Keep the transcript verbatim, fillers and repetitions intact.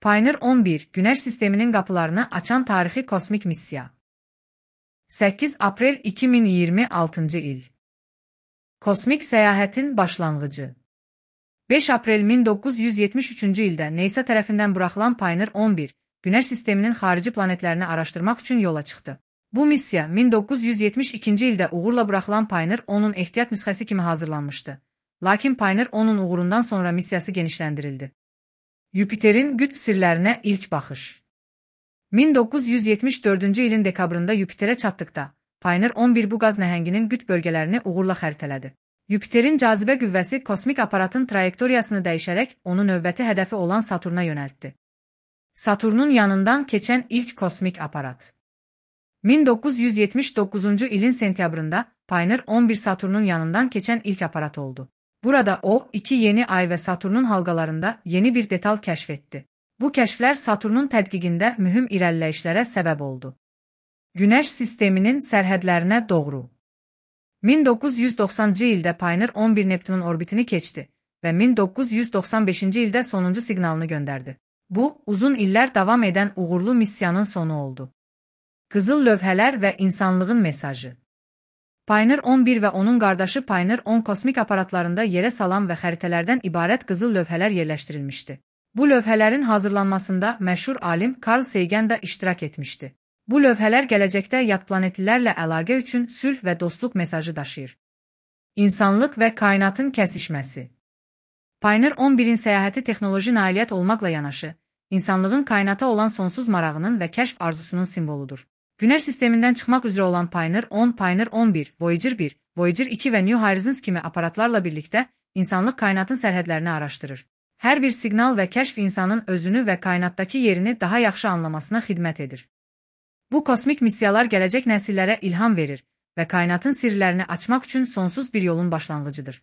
Pioneer on bir, Güneş sisteminin qapılarını açan tarixi kosmik missiya. səkkiz aprel iki min iyirmi altıncı il. Kosmik səyahətin başlanğıcı. beş aprel min doqquz yüz yetmiş üçüncü ildə NASA tərəfindən buraxılan Pioneer on bir, Güneş sisteminin xarici planetlərini araşdırmaq üçün yola çıxdı. Bu missiya min doqquz yüz yetmiş ikinci ildə uğurla buraxılan Pioneer onun ehtiyat nüsxəsi kimi hazırlanmışdı. Lakin Pioneer onun uğurundan sonra missiyası genişləndirildi. Yupiterin qütb sirlərinə ilk baxış. min doqquz yüz yetmiş dördüncü ilin dekabrında Yupiterə çatdıqda, Pioneer on bir bu qaz nəhənginin qütb bölgələrini uğurla xəritələdi. Yupiterin cazibə qüvvəsi kosmik aparatın trayektoriyasını dəyişərək onu növbəti hədəfi olan Saturna yönəltdi. Saturnun yanından keçən ilk kosmik aparat. min doqquz yüz yetmiş doqquzuncu ilin sentyabrında Pioneer on bir Saturnun yanından keçən ilk aparat oldu. Burada o, iki yeni ay və Saturnun halqalarında yeni bir detal kəşf etdi. Bu kəşflər Saturnun tədqiqində mühüm irəliləyişlərə səbəb oldu. Güneş sisteminin sərhədlərinə doğru. min doqquz yüz doxsanıncı ildə Pioneer on bir Neptunun orbitini keçdi və min doqquz yüz doxsan beşinci ildə sonuncu siqnalını göndərdi. Bu, uzun illər davam edən uğurlu missiyanın sonu oldu. Qızıl lövhələr və insanlığın mesajı. Pioneer on bir və onun qardaşı Pioneer on kosmik aparatlarında yerə salan və xəritələrdən ibarət qızıl lövhələr yerləşdirilmişdi. Bu lövhələrin hazırlanmasında məşhur alim Carl Sagan da iştirak etmişdi. Bu lövhələr gələcəkdə yad planetlilərlə əlaqə üçün sülh və dostluq mesajı daşıyır. İnsanlıq və kainatın kəsişməsi. Pioneer on birin səyahəti texnoloji nailiyyət olmaqla yanaşı, insanlığın kainata olan sonsuz marağının və kəşf arzusunun simvoludur. Güneş sistemindən çıxmaq üzrə olan Pioneer on, Pioneer on bir, Voyager bir, Voyager iki və New Horizons kimi aparatlarla birlikdə insanlıq kainatın sərhədlərini araşdırır. Hər bir siqnal və kəşf insanın özünü və kainatdakı yerini daha yaxşı anlamasına xidmət edir. Bu kosmik missiyalar gələcək nəsillərə ilham verir və kainatın sirlərini açmaq üçün sonsuz bir yolun başlanğıcıdır.